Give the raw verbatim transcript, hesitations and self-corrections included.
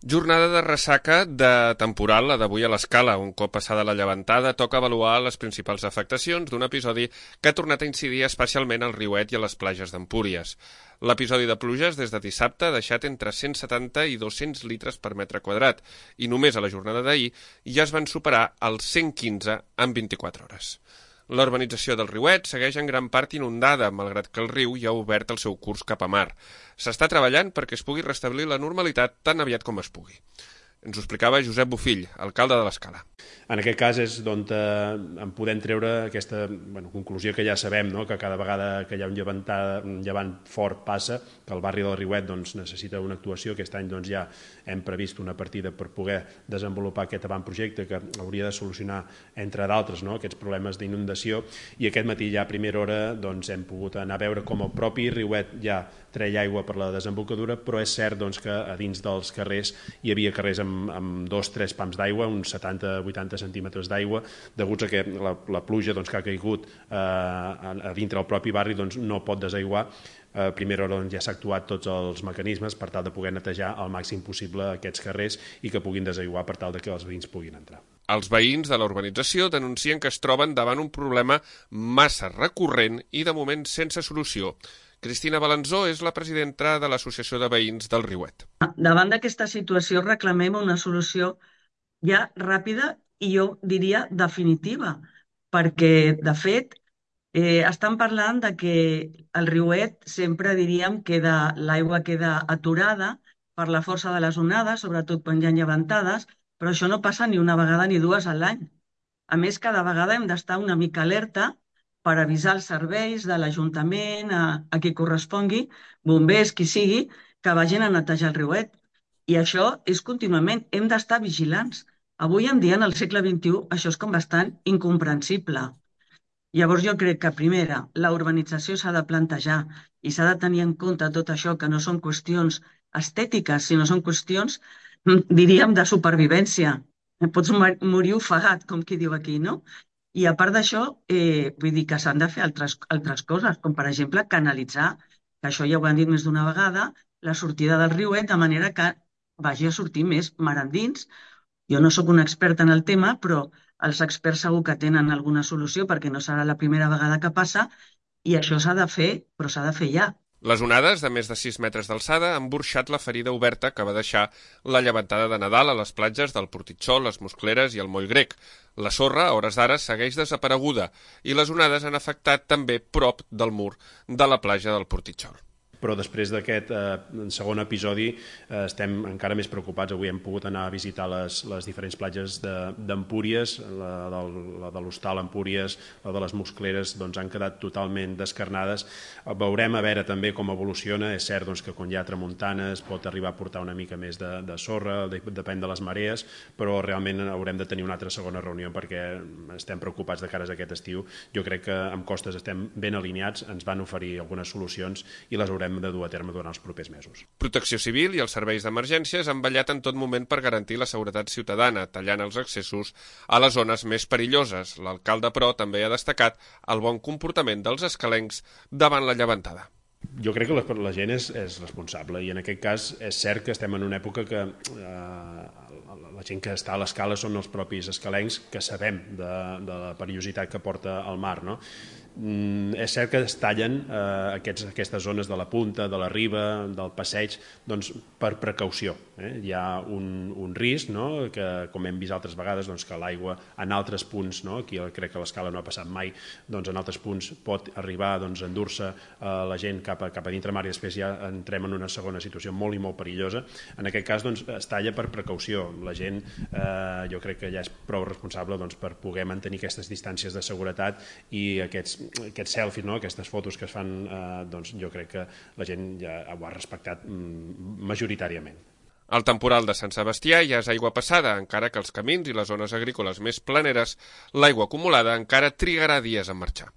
Jornada de ressaca de temporal, la d'avui a l'Escala. Un cop passada la llevantada, toca avaluar les principals afectacions d'un episodi que ha tornat a incidir especialment al Riuet i a les platges d'Empúries. L'episodi de pluges des de dissabte ha deixat entre cent setanta i dos-cents litres per metre quadrat i només a la jornada d'ahir ja es van superar els cent quinze en vint-i-quatre hores. La urbanització del Riuet segueix en gran part inundada, malgrat que el riu ja ha obert el seu curs cap a mar. S'està treballant perquè es pugui restablir la normalitat tan aviat com es pugui. Ens ho explicava Josep Bofill, alcalde de l'Escala. En aquest cas és d'on eh, en podem treure aquesta bueno, conclusió que ja sabem, no? Que cada vegada que hi ha un, llevantada, un llevant fort passa, que el barri del Riuet doncs, necessita una actuació. Aquest any doncs, ja hem previst una partida per poder desenvolupar aquest avantprojecte que hauria de solucionar, entre d'altres, no? Aquests problemes d'inundació. I aquest matí ja a primera hora doncs, hem pogut anar a veure com el propi Riuet ja treia aigua per la desembocadura, però és cert doncs, que a dins dels carrers hi havia carrers amb, amb dos o tres pams d'aigua, uns setanta a vuitanta centímetres d'aigua, deguts a que la, la pluja doncs, que ha caigut eh, a, a dintre del propi barri doncs, no pot desaiguar. A primera hora doncs, ja s'ha actuat tots els mecanismes per tal de poder netejar al màxim possible aquests carrers i que puguin desaiguar per tal de que els veïns puguin entrar. Els veïns de la urbanització denuncien que es troben davant un problema massa recurrent i de moment sense solució. Cristina Balanzó és la presidenta de l'Associació de Veïns del Riuet. Davant d'aquesta situació reclamem una solució ja ràpida i jo diria definitiva, perquè de fet eh, estan parlant de que el Riuet sempre diríem que l'aigua queda aturada per la força de les onades, sobretot quan hi ha llevantades, però això no passa ni una vegada ni dues a l'any. A més, cada vegada hem d'estar una mica alerta per avisar els serveis de l'Ajuntament, a, a qui correspongui, bombers, qui sigui, que vagin a netejar el riuet. I això és contínuament, hem d'estar vigilants. Avui en dia, en el segle vint-i-u, això és com bastant incomprensible. Llavors jo crec que, primera, la urbanització s'ha de plantejar i s'ha de tenir en compte tot això, que no són qüestions estètiques, sinó són qüestions, diríem, de supervivència. Pots morir ofegat, com qui diu aquí, no? I a part d'això, eh, vull dir que s'han de fer altres, altres coses, com per exemple canalitzar, que això ja ho han dit més d'una vegada, la sortida del riuet de manera que vagi a sortir més mar endins. Jo no sóc una experta en el tema, però els experts segur que tenen alguna solució perquè no serà la primera vegada que passa i això s'ha de fer, però s'ha de fer ja. Les onades de més de sis metres d'alçada han burxat la ferida oberta que va deixar la llevantada de Nadal a les platges del Portitxol, les Muscleres i el Moll Grec. La sorra, a hores d'ara, segueix desapareguda i les onades han afectat també prop del mur de la platja del Portitxol. Però després d'aquest eh, segon episodi eh, estem encara més preocupats. Avui hem pogut anar a visitar les, les diferents platges d'Empúries, la, del, la de l'Hostal Empúries, la de les Muscleres, doncs han quedat totalment descarnades. Veurem a veure també com evoluciona. És cert doncs, que quan hi ha tramuntanes pot arribar a portar una mica més de, de sorra, de, depèn de les marees, però realment haurem de tenir una altra segona reunió perquè estem preocupats de cares a aquest estiu. Jo crec que amb Costes estem ben alineats, ens van oferir algunes solucions i les haurem de dur a terme durant els propers mesos. Protecció Civil i els serveis d'emergències han vetllat en tot moment per garantir la seguretat ciutadana, tallant els accessos a les zones més perilloses. L'alcalde, però, també ha destacat el bon comportament dels escalencs davant la llevantada. Jo crec que la, la gent és, és responsable i en aquest cas és cert que estem en una època que eh, la gent que està a l'escala són els propis escalencs que sabem de, de la perillositat que porta el mar, no? Mm, és cert que es tallen eh, aquests, aquestes zones de la punta, de la riba, del passeig, doncs per precaució. Eh? Hi ha un, un risc, no? Que, com hem vist altres vegades, doncs, que l'aigua en altres punts, no? Aquí crec que l'escala no ha passat mai, doncs en altres punts pot arribar doncs, a endur-se eh, la gent cap a, cap a dintre mar i després ja entrem en una segona situació molt i molt perillosa. En aquest cas doncs, es talla per precaució. La gent eh, jo crec que ja és prou responsable doncs, per poder mantenir aquestes distàncies de seguretat i aquests aquests selfies, no? Aquestes fotos que es fan, eh, doncs jo crec que la gent ja ho ha respectat mm, majoritàriament. Al temporal de Sant Sebastià ja és aigua passada, encara que els camins i les zones agrícoles més planeres, l'aigua acumulada encara trigarà dies en marxar.